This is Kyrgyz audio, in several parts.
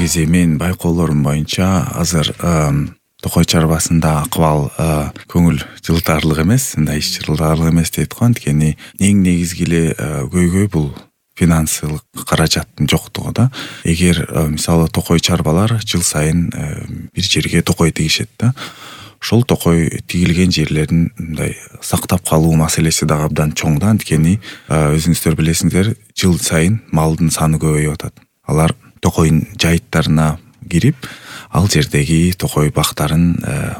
негизи менин байкоолорум боюнча азыр токой чарбасында акыбал көңүл жылытарлык эмес, мындай ич жылытарлык эмес дейт го. Анткени эң негизги эле көйгөй бул финансылык каражаттын жоктугу да. Эгер мисалы токой чарбалар жыл сайын бир жерге токой тигишет да. Ошол токой тигилген жерлерин мындай сактап калуу маселеси дагы абдан чоң да. Анткени өзүңүздөр билесиңер, жыл сайын малдын саны көбөйүп атат. Алар токойдун жайыттарына кирип, ал жердеги токой бактарын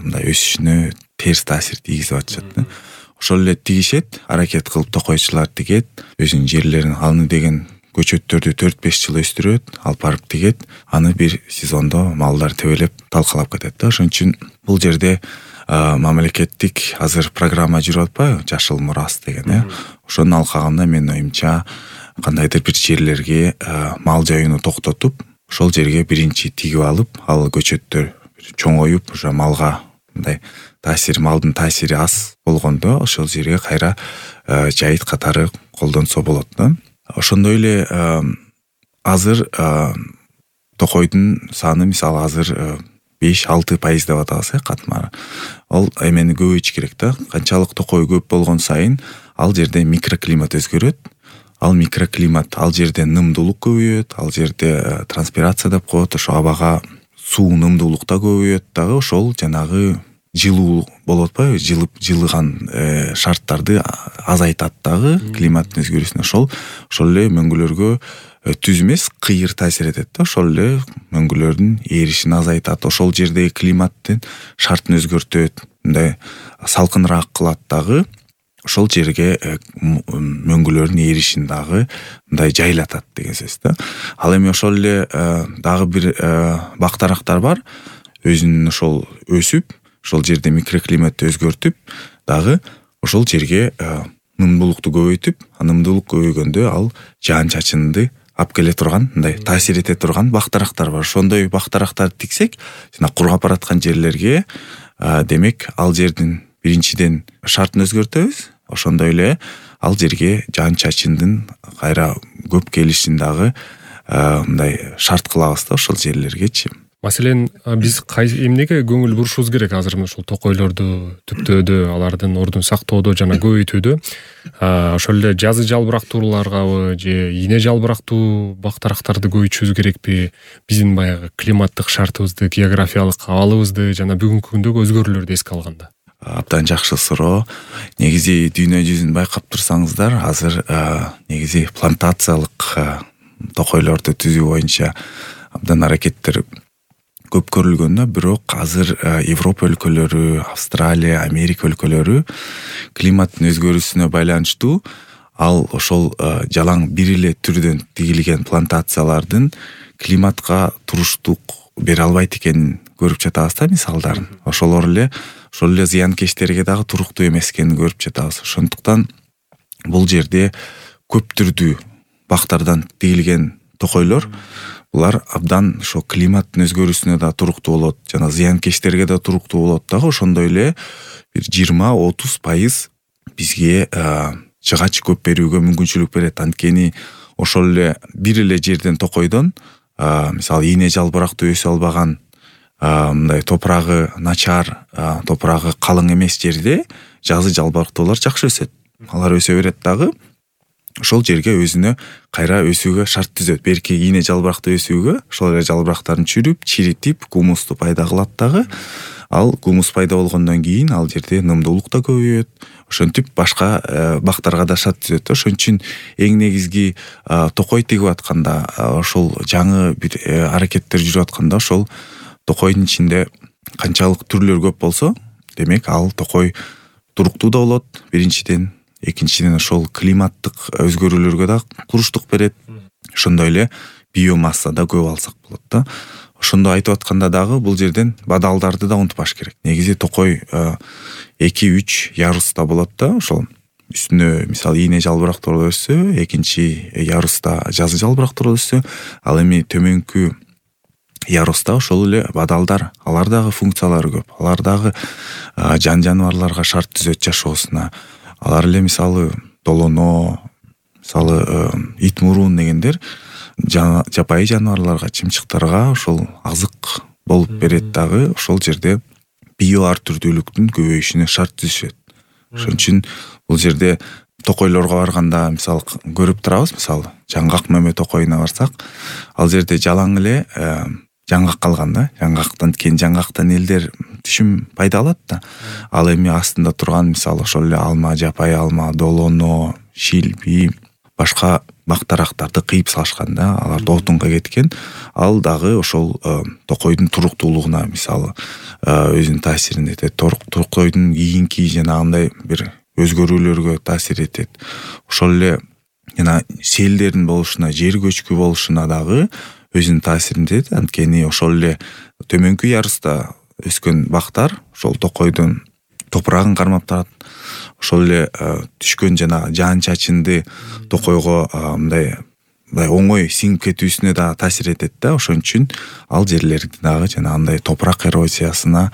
мындай өсүшүнө терс таасир тийгизип атышат да. Ошол эле тигишет, аракет кылып токойчулар тигет, өзүнүн жерлерин аны деген көчөттөрдү 4-5 жыл өстүрөт, алып барып тигет, аны бир сезондо малдар тебелеп талкалап кетет да. Ошон үчүн бул жерде мамлекеттик азыр программа жүрүп атпайбы, Жашыл мурас деген, ошонун алкагында менин оюмча кандайдыр бир жерлерге мал жаюуну токтотуп, ошол жерге биринчи тигип алып, ал көчөттөр чоңоюп, уже малга мындай малдын таасири аз болгондо ошол жерге кайра жайыт катары колдонсо болот да. Ошондой эле азыр токойдун саны мисалы азыр 5-6% деп атабыз катмары. Ал эмени көбөйтүш керек да. Канчалык токой көп болгон сайын ал жерде микроклимат өзгөрөт. Ал микроклимат ал жерде нымдуулук көбөйөт, ал жерде транспирация деп коет, ошо абага суу нымдуулук да көбөйөт дагы, ошол жанагы жылуу болуп атпайбы, жылыган шарттарды азайтат дагы климаттын өзгөрүүсүнө. Ошол эле мөңгүлөргө түз эмес, кыйыр таасир этет да. Ошол эле мөңгүлөрдүн эришин азайтат, ошол жердеги климаттын шартын өзгөртөт, мындай салкыныраак кылат дагы. Ошол жерге мөңгүлөрдүн эришин дагы мындай жайлатат деген сөз да. Ал эми ошол эле дагы бир бактарактар бар. Өзүнүн ошол өсүп, ошол жерде микроклиматты өзгөртүп, дагы ошол жерге нымдуулукту көбөйтүп, нымдуулук көбөйгөндө ал жаан-чачынды алып келе турган, мындай таасир эте турган бактарактар бар. Ошондой бактарактарды тиксек, жана кургап бараткан жерлерге демек ал жердин биринчиден шартын өзгөртөбүз. Ошондой эле ал жерге жаан-чачындын кайра көп келишин дагы мындай шарт кылабыз да ошол жерлергечи. Маселен, биз эмнеге көңүл бурушубуз керек азыр ушул токойлорду түптөөдө, алардын ордун сактоодо жана көбөйтүүдө? Ошол эле жазы жалбырактууларгабы же ийне жалбырактуу бактарактарды көбөйтүшүбүз керекпи? Биздин баягы климаттык шартыбызды, географиялык абалыбызды жана бүгүнкү күндөгү өзгөрүүлөрдү эске алганда. Абдан жакшы суроо. Негизи дүйнө жүзүн байкап турсаңыздар, азыр негизи плантациялык токойлорду түзүү боюнча абдан аракеттер көп көрүлгөн да. Бирок азыр Европа өлкөлөрү, Австралия, Америка өлкөлөрү климаттын өзгөрүүсүнө байланыштуу ал ошол жалаң бир эле түрдөн тигилген плантациялардын климатка туруштук бере албайт экенин көрүп жатабыз да, мисалдарын. Ошол эле зыянкечтерге дагы туруктуу эмес экенин көрүп жатабыз. Ошондуктан бул жерде көп түрдүү бактардан тигилген токойлор булар абдан ошо климаттын өзгөрүүсүнө да туруктуу болот, жана зыянкечтерге да туруктуу болот дагы. Ошондой эле бир 20-30% бизге жыгач көп берүүгө мүмкүнчүлүк берет. Анткени ошол эле бир эле жерден токойдон мисалы ийне жалбырактуу өсө албаган, мындай топурагы начар, топурагы калың эмес жерде жазы жалбырактуулар жакшы өсөт. Алар өсө берет дагы. Ошол жерге өзүнө кайра өсүүгө шарт түзөт. Берки ийне жалбырактуу өсүүгө ошол эле жалбырактарын чүрүп, чиритип, гумусту пайда кылат дагы. Ал гумус пайда болгондон кийин ал жерде нымдуулук да көбөйөт. Ошентип башка бактарга да шарт түзөт. Ошон үчүн эң негизги токой тигип атканда, ошол жаңы бир аракеттер жүрүп атканда, ошол токойдун ичинде канчалык түрлөр көп болсо, демек ал токой туруктуу да болот. Биринчиден, экинчиден ошол климаттык өзгөрүүлөргө да туруштук берет. Ошондой эле биомасса да көп алсак болот да. Ошондо айтып атканда дагы бул жерден бадалдарды да унутпаш керек. Негизи токой 2-3 яруста болот да. Ошол үстүнө мисалы ийне жалбырактуу өссө, экинчи яруста жазы жалбырактуу өссө, ал эми төмөнкү яруста ошол эле бадалдар, алар дагы функциялары көп. Алар дагы жан-жаныбарларга шарт түзөт жашоосуна. Алар эле мисалы долоно, мисалы ит мурун дегендер жапайы жаныбарларга, чымчыктарга ошол азык болуп берет дагы. Ошол жерде био ар түрдүүлүктүн көбөйүшүнө шарт түзүшөт. Ошон үчүн бул жерде токойлорго барганда мисалы көрүп турабыз, мисалы жаңгак мөмө токойуна барсак, ал жерде жалаң эле жаңгак калган да. Жаңгактан элдер түшүм пайда алат да. Ал эми астында турган мисалы ошол эле алма, жапайы алма, долоно, шилби, башка бактарактарды кыйып салышкан да. Алар отунга кеткен. Ал дагы ошол токойдун туруктуулугуна мисалы өзүнүн таасирин этет. Токойдун кийинки жанагындай бир өзгөрүүлөргө таасир этет. Ошол эле жана селдердин болушуна, жер көчкү болушуна дагы өзүнүн таасирин этет. Анткени ошол эле төмөнкү ярыста өскөн бактар ошол токойдун топурагын кармап турат. Ошол эле түшкөн жана жаан чачынды токойго мындай оңой сиңип кетүүсүнө да таасир этет да. Ошон үчүн ал жерлерди дагы жанагындай топурак эрозиясына,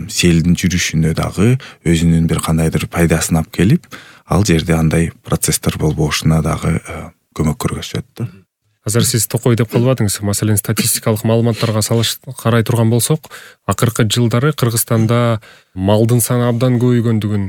селдин жүрүшүнө дагы өзүнүн бир кандайдыр пайдасын алып келип, ал жерде андай процесстер болбошуна дагы көмөк көргөзөт да. Азыр сиз токой деп калбадыңыз. Маселен, статистикалык маалыматтарга карай турган болсок, акыркы жылдары Кыргызстанда малдын саны абдан көбөйгөндүгүн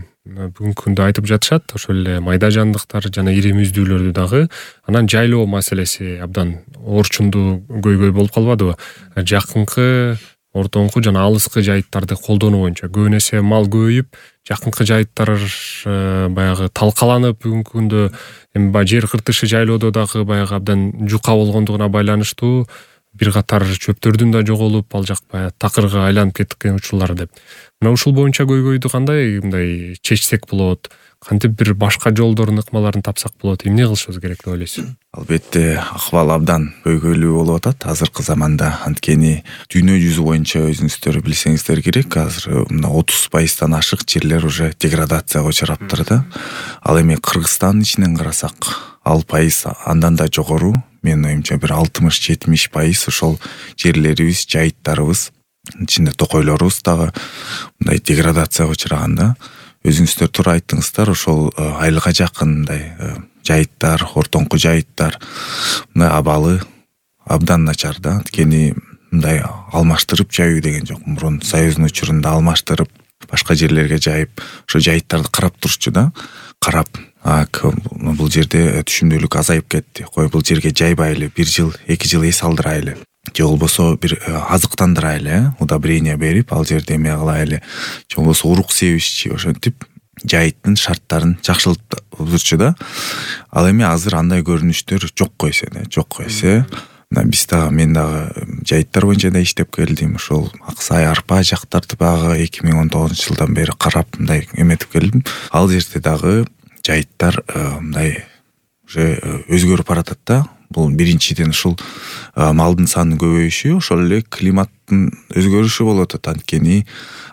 бүгүнкү күндө айтып жатышат. Ошол эле майда жандыктар жана ири мүздүүлөрдү дагы. Анан жайлоо маселеси абдан орчундуу көйгөй болуп калбадыбы? Жакынкы, ортоңку жана алыскы жайыттарды колдонуу боюнча көбүн эсе мал көбөйүп, жакынкы жайыттар баягы талкаланып, бүгүнкү күндө эми жер кыртышы жайлоодо дагы баягы абдан жука болгондугуна байланыштуу бир катар чөптөрдүн да жоголуп, ал жак баягы такырга айланып кеткен учурлар деп. Мына ушул боюнча көйгөйдү кандай мындай чечсек болот? Кантип бир башка жолдорун, ыкмаларын тапсак болот? Эмне кылышыбыз керек деп ойлойсуз? Албетте, акыбал абдан көйгөйлүү болуп атат азыркы заманда. Анткени дүйнө жүзү боюнча өзүңүздөр билсеңиздер керек, азыр мына 30% ашык жерлер уже деградацияга учураптыр да. Ал эми Кыргызстандын ичинен карасак, ал пайыз андан да жогору. Менин оюмча бир 60-70% ошол жерлерибиз, жайыттарыбыз, ичинде токойлорубуз дагы мындай деградацияга учураган да. Өзүңүздөр туура айттыңыздар, ошол айылга жакын мындай жайыттар, ортоңку жайыттар мындай абалы абдан начар да. Анткени мындай алмаштырып жайуу деген жок. Мурун Союздун учурунда алмаштырып башка жерлерге жайып, ошо жайыттарды карап турчу да. Карап, бул жерде түшүмдүүлүк азайып кетти. Кой бул жерге жайбайлы, 1 жыл, 2 жыл эс алдырайлы. Же болбосо бир азыктандырайлы, удобрение берип, ал жерде эме кылайлы. Же болбосо урук себишчи, ошентип жайыттын шарттарын жакшылтып турчу да. Ал эми азыр андай көрүнүштөр жокко эсе. Биз дагы, мен дагы жайыттар боюнча да иштеп келдим. Ошол Аксай, Арпа жактарды багы 2019-жылдан бери карап мындай эметип келдим. Ал жерде дагы жайыттар мындай уже өзгөрүп баратат да. Бул биринчиден ушул малдын санынын көбөйүшү, ошол эле климаттын өзгөрүшү болуп атат. Анткени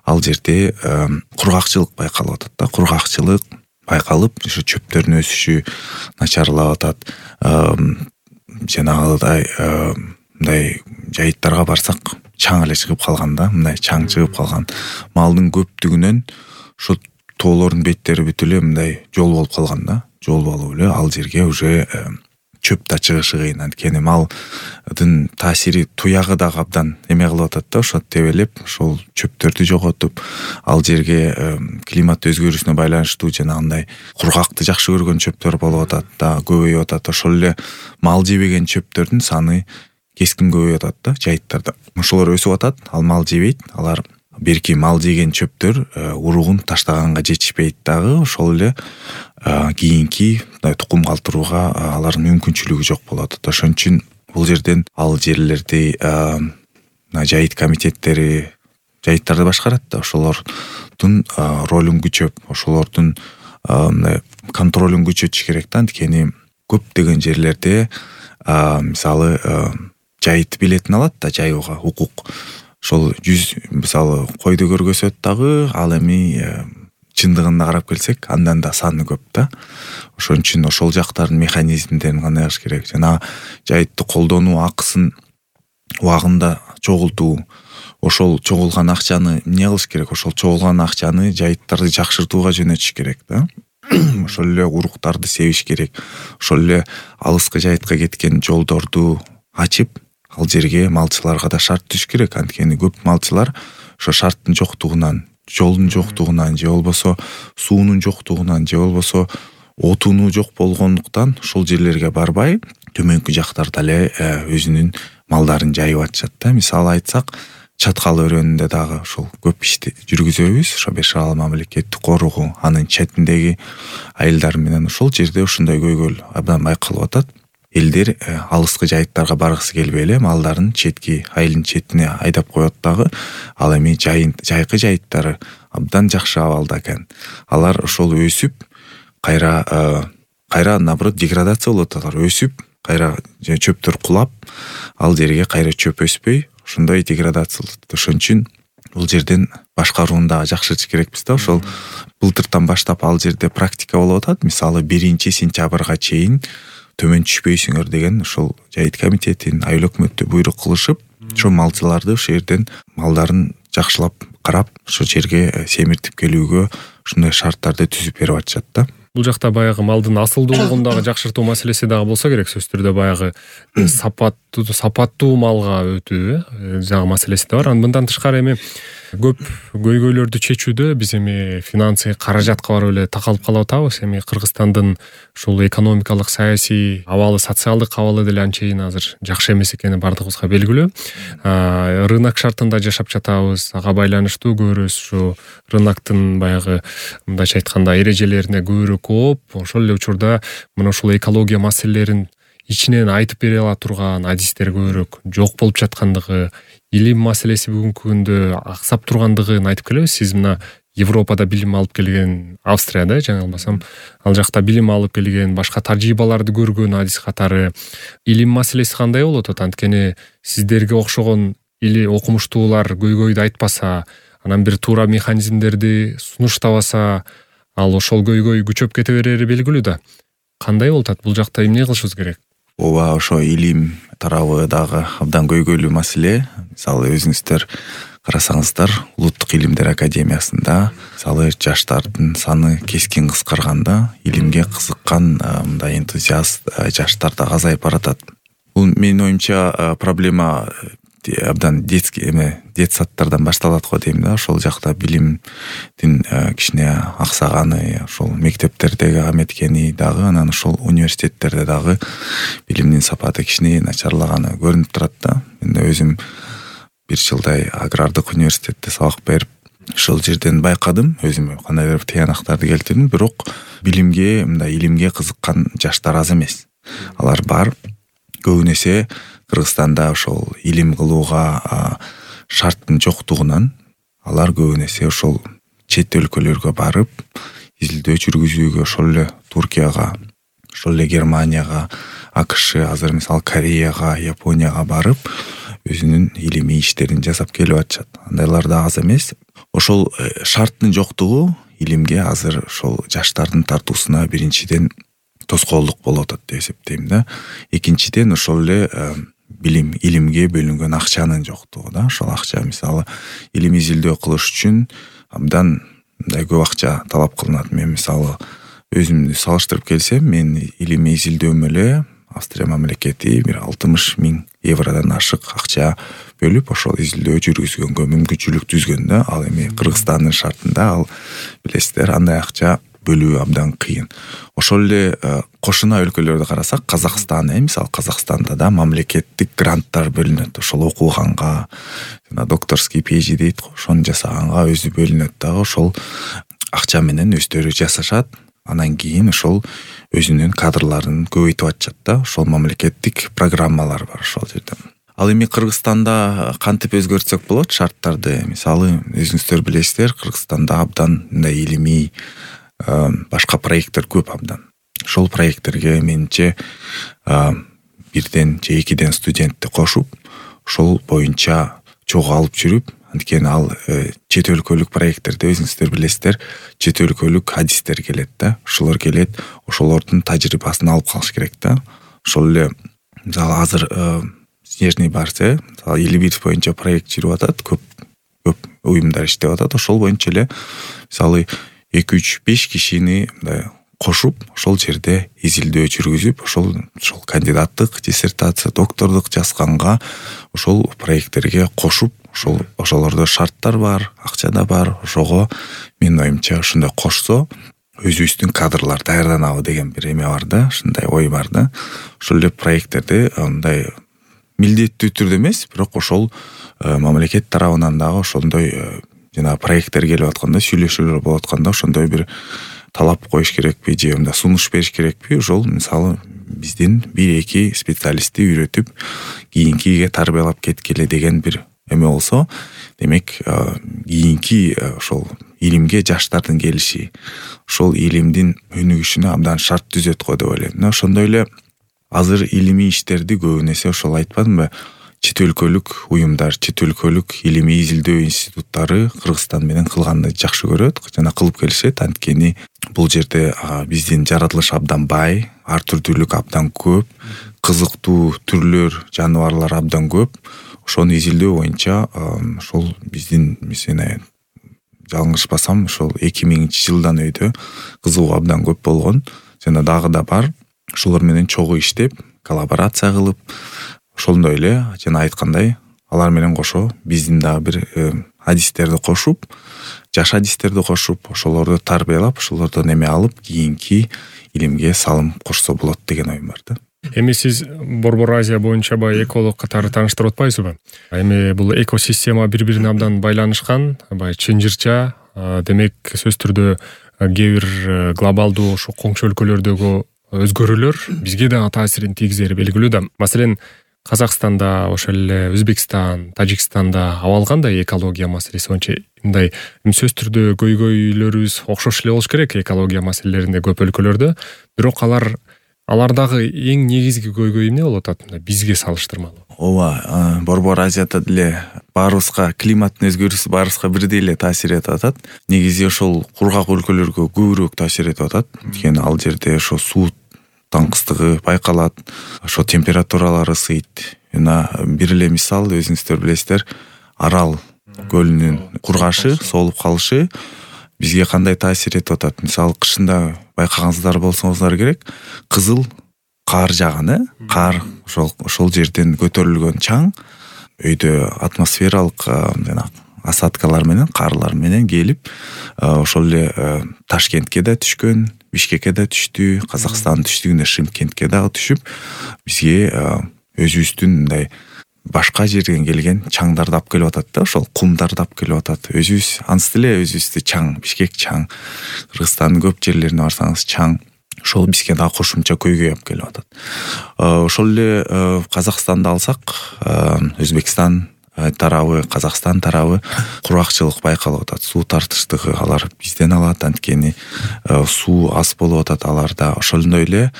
ал жерде кургакчылык байкалып атат да. Кургакчылык байкалып, ошо чөптөрдүн өсүшү начарлап атат. Жанагыдай мындай жайыттарга барсак, чаң эле чыгып калган да. Мындай чаң чыгып калган. Малдын көптүгүнөн ошо тоолордун беттери бүт эле мындай жол болуп калган да. Жол болуп эле ал жерге уже чөп да чыгышы кыйын. Анткени малдын таасири туягы дагы абдан эме кылып атат да, ошо тебелеп, ошол чөптөрдү жоготуп, ал жерге климат өзгөрүшүнө байланыштуу жанагындай кургакты жакшы көргөн чөптөр болуп атат да, көбөйүп атат. Ошол эле мал жебеген чөптөрдүн саны кескин көбөйүп атат да жайыттарда. Ошолор өсүп атат, ал мал жебейт. Алар берки мал жеген чөптөр уругун таштаганга жетишпейт дагы. Ошол эле кийинки тукум калтырууга алардын мүмкүнчүлүгү жок болот. Ошон үчүн бул жерден ал жерлерди жайыт комитеттери жайыттарды башкарат да. Ошолордун ролун күчөп, ошолордун контролун күчөтүш керек да. Анткени көптөгөн жерлерде мисалы жайыт билетин алат да, жайууга укук. Ошол 100 мисалы койду көргөзөт дагы, ал эми чындыгына карап келсек, андан да саны көп да. Ошон үчүн ошол жактардын механизмдерин кандай кылыш керек? Жана жайытты колдонуу акысын убагында чогултуу. Ошол чогулган акчаны эмне кылыш керек? Ошол чогулган акчаны жайыттарды жакшыртууга жөнөтүш керек да. ошол эле уруктарды себиш керек, ошол эле алыскы жайытка кеткен жолдорду ачып ал жерге малчыларга да шарт түзүш керек. Анткени көп малчылар ошо шарттын жоктугунан, жолдун жоктугунан же болбосо суунун жоктугунан же болбосо отуну жок болгондуктан ушул жерлерге барбай төмөнкү жактарда эле өзүнүн малдарын жайып атышат да. Мисалы айтсак, Чаткал өрөөнүндө дагы ошол көп ишти жүргүзөбүз. Ошо Беш Арал мамлекеттик коругу анын четиндеги айылдар менен ошол жерде ушундай көйгөйл абдан байкалып атат. Элдер алыскы жайыттарга баргысы келбей эле малдарын четки айылдын четине айдап коет дагы. Ал эми жайкы жайыттары абдан жакшы абалда экен. Алар ошол өсүп, кайра наоборот деградация болуп атат. Өсүп, кайра чөптөр кулап, ал жерге кайра чөп өспөй, ошондой деградация болуп атат. Ошон үчүн бул жерден башкарууну дагы жакшыртыш керекпиз да. Ошол былтыртан баштап ал жерде практика болуп атат. Мисалы 1-сентябрга чейин төмөн түшпөйсүңөр деген ошол жайыт комитетин, айыл өкмөттү буйрук кылышып, ошо малчыларды ошол жерден малдарын жакшылап карап, ошол жерге семиртип келүүгө ушундай шарттарды түзүп берип атышат да. Бул жакта баягы малдын асылдуулугун дагы жакшыртуу маселеси дагы болсо керек. Сөзсүз түрдө баягы сапаттуу малга өтүү жагы маселеси да бар. Мындан тышкары эми көп көйгөйлөрдү чечүүдө биз эми финансы каражатка барып эле такалып калып атабыз. Эми Кыргызстандын ушул экономикалык, саясий абалы, социалдык абалы деле анчейин азыр жакшы эмес экени бардыгыбызга белгилүү. Рынок шартында жашап жатабыз. Ага байланыштуу көрөбүз ушу рыноктун баягы мындайча айтканда эрежелерине көбүрөөк ооп, ошол эле учурда мына ушул экология маселелерин ичинен айтып бере ала турган адистер көбүрөөк жок болуп жаткандыгы, илим маселеси бүгүнкү күндө аксап тургандыгын айтып келебиз. Сиз мына Европада билим алып келген, Австрияда жаңы албасам, ал жакта билим алып келген, башка тажрыйбаларды көргөн адис катары илим маселеси кандай болуп атат? Анткени сиздерге окшогон или окумуштуулар көйгөйдү айтпаса, анан бир туура механизмдерди сунуштабаса, ал ошол көйгөй күчөп кете берери белгилүү да. Кандай болуп атат? Бул жакта эмне кылышыбыз керек? Ооба, ошо илим тарабы дагы абдан көйгөйлүү маселе. Мисалы өзүңүздөр карасаңыздар, Улуттук илимдер академиясында мисалы жаштардын саны кескин кыскарганда, илимге кызыккан мындай энтузиаст жаштар да азайып баратат. Бул менин оюмча проблема абдан детсадтардан башталат го дейм да. Ошол жакта билимдин кичине аксаганы, ошол мектептердеги аметкени дагы, анан ошол университеттерде дагы билимдин сапаты кичине начарлаганы көрүнүп турат да. Мен өзүм бир жылдай агрардык университетте сабак берип, ошол жерден байкадым, өзүм кандайдыр бир тыянактарды келтирдим. Бирок билимге, мындай илимге кызыккан жаштар аз эмес. Алар бар. Көбүн эсе Кыргызстанда ошол илим кылууга шарттын жоктугунан алар көбүн эсе ошол чет өлкөлөргө барып, изилдөө жүргүзүүгө, ошол эле Туркияга, ошол эле Германияга, АКШ, азыр мисалы Кореяга, Японияга барып, өзүнүн илимий иштерин жасап келип атышат. Андайлар да аз эмес. Ошол шарттын жоктугу илимге азыр ошол жаштардын тартуусуна биринчиден тоскоолдук болуп атат деп эсептейм да. Экинчиден ошол эле илимге бөлүнгөн акчанын жоктугу да. Ошол акча мисалы илим изилдөө кылыш үчүн абдан мындай көп акча талап кылынат. Мен мисалы өзүмдү салыштырып келсем, мен илимий изилдөөмө эле Австрия мамлекети бир 60 000 евродон ашык акча бөлүп, ошол изилдөө жүргүзгөнгө мүмкүнчүлүк түзгөн да. Ал эми Кыргызстандын шартында ал билесиздер, андай акча бөлүү абдан кыйын. Ошол эле кошуна өлкөлөрдү карасак, Казакстан, мисалы Казакстанда да мамлекеттик гранттар бөлүнөт. Ошол окуганга, жана докторский PhD дейт го, ошону жасаганга өзү бөлүнөт дагы. Ошол акча менен өздөрү жасашат. Анан кийин ошол өзүнүн кадрларын көбөйтүп атышат да. Ошол мамлекеттик программалар бар ошол жерде. Ал эми Кыргызстанда кантип өзгөртсөк болот шарттарды? Мисалы өзүңүздөр билесиздер, Кыргызстанда абдан мындай илимий башка проекттер көп абдан. Ошол проекттерге менимче бирден же экиден студентти кошуп, ошол боюнча чогуу алып жүрүп, анткени ал чет өлкөлүк проекттерде өзүңүздөр билесиздер, чет өлкөлүк адистер келет да. Ошолор келет, ошолордун тажрыйбасын алып калыш керек да. Ошол эле мисалы азыр Снежный Барс, Элибирс боюнча проект жүрүп атат, көп уюмдар иштеп атат. Ошол боюнча эле мисалы 2-3-5 кишини мындай кошуп ошол жерде изилдөө жүргүзүп ошол кандидаттык диссертация, доктордук жазганга ошол проекттерге кошуп ошолордо шарттар бар, акча да бар. Ошого менин оюмча ушундай кошсо өзүбүздүн кадрлар даярданабы деген бир эме бар да, ушундай ой бар да. Ошол эле проекттерди мындай милдеттүү түрдө эмес, бирок ошол мамлекет тарабынан дагы ошондой жана проекттер келип атканда, сүйлөшүүлөр болуп атканда ошондой бир талап коюш керекпи же мындай сунуш бериш керекпи? Ошол мисалы биздин 1-2 специалистти үйрөтүп кийинкиге тарбиялап кеткеле деген бир эме болсо, демек кийинки ошол илимге жаштардын келиши, ошол илимдин өнүгүшүнө абдан шарт түзөт го деп ойлойм. Ошондой эле азыр илимий иштерди көбүн эсе ошол айтпадымбы, чет өлкөлүк уюмдар, чет өлкөлүк илимий изилдөө институттары Кыргызстан менен кылганды жакшы көрөт жана кылып келишет. Анткени бул жерде биздин жаратылыш абдан бай, ар түрдүүлүк абдан көп, кызыктуу түрлөр, жаныбарлар абдан көп. Ошону изилдөө боюнча ошол биздин мен жалгышпасам ошол 2000-жылдан өйдө кызыгуу абдан көп болгон жана дагы да бар. Ошолор менен чогуу иштеп, коллаборация кылып, ошондой эле жана айткандай алар менен кошо биздин дагы бир адистерди кошуп, жаш адистерди кошуп, ошолорду тарбиялап, ошолордон эме алып, кийинки илимге салым кошсо болот деген оюм бар да. Эми сиз Борбор Азия боюнча баягы эколог катары тааныштырып атпайсызбы? Эми бул экосистема бири-бирине абдан байланышкан, баягы чынжырча, демек сөзсүз түрдө кээ бир глобалдуу ошо коңшу өлкөлөрдөгү өзгөрүүлөр бизге дагы таасирин тийгизери белгилүү да. Маселен, Казакстанда, ошол эле Өзбекстан, Тажикстанда абал кандай экология маселеси боюнча? Мындай сөзсүз түрдө көйгөйлөрүбүз окшош эле болуш керек экология маселелеринде көп өлкөлөрдө. Бирок алардагы эң негизги көйгөй эмне болуп атат бизге салыштырмалуу? Ооба, Борбор Азияда деле баарыбызга климаттын өзгөрүүсү баарыбызга бирдей эле таасир этип атат. Негизи ошол кургак өлкөлөргө көбүрөөк таасир этип атат. Анткени ал жерде ошо суу таңкыстыгы байкалат, ошо температуралар ысыйт. Жана бир эле мисал, өзүңүздөр билесиздер, Арал көлүнүн кургашы, соолуп калышы бизге кандай таасир этип атат? Мисалы кышында байкагансыздар болсоңуздар керек, кызыл кар жааган, кар ошол жерден көтөрүлгөн чаң өйдө атмосфералык жана осадкалар менен, карлар менен келип, ошол эле Ташкентке да түшкөн, Бишкекке да түштү, Казакстандын түштүгүнө Шымкентке дагы түшүп, бизге өзүбүздүн мындай башка жерден келген чаңдарды алып келип атат да, ошол кумдарды алып келип атат. Өзүбүз ансыз деле өзүбүздү чаң, Бишкек чаң, Кыргызстандын көп жерлерине барсаңыз чаң. Ошол бизге дагы кошумча көйгөй алып келип атат. Ошол эле Казакстанды алсак, Өзбекстан тарабы, Казакстан тарабы кургакчылык байкалып атат. Суу тартыштыгы алар бизден алат, анткени суу аз болуп атат аларда. Ошондой эле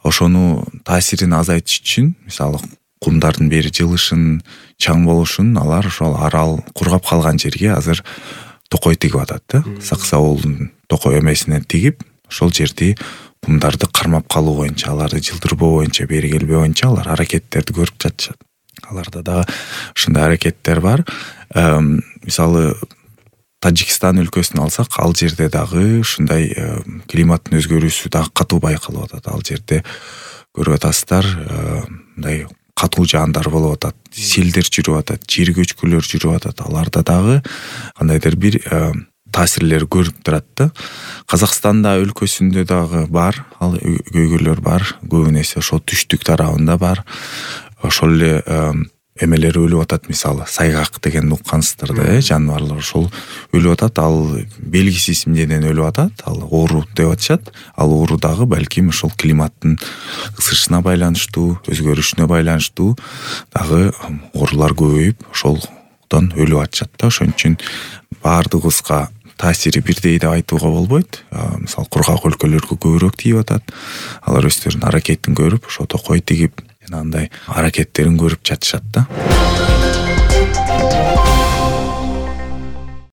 ошону таасирин азайтыш үчүн, мисалы кумдардын бери жылышын, чаң болушун алар ошол Арал кургап калган жерге азыр токой тигип атат да. Сакса абулдун токой эмесинен тигип, ошол жерди кумдарды кармап калуу боюнча, аларды жылдырбоо боюнча, бери келбөө боюнча алар аракеттерди көрүп жатышат. Аларда дагы ушундай аракеттер бар. Мисалы Тажикстан өлкөсүн алсак, ал жерде дагы ушундай климаттын өзгөрүүсү дагы катуу байкалып атат. Ал жерде көрүп атасыздар, мындай катуу жаандар болуп атат, селдер жүрүп атат, жер көчкүлөр жүрүп атат. Аларда дагы кандайдыр бир таасирлер көрүп турат да. Казакстанда өлкөсүндө дагы бар, ал көйгөйлөр бар. Көбүн эсе ошол түштүк тарабында бар. Ошол эле эмелер өлүп атат, мисалы сайгак деген уккансыздар да, жаныбарлар ошол өлүп атат. Ал белгисиз эмнеден өлүп атат, ал оору деп атышат. Ал оору дагы балким ошол климаттын ысышына байланыштуу, өзгөрүшүнө байланыштуу дагы оорулар көбөйүп, ошолдон өлүп атышат да. Ошон үчүн баардыгыбызга таасири бирдей деп айтууга болбойт. Мисалы кургак өлкөлөргө көбүрөөк тийип атат. Алар өздөрүнүн аракетин көрүп, ошо токой тигип, андай аракеттерин көрүп жатышат да.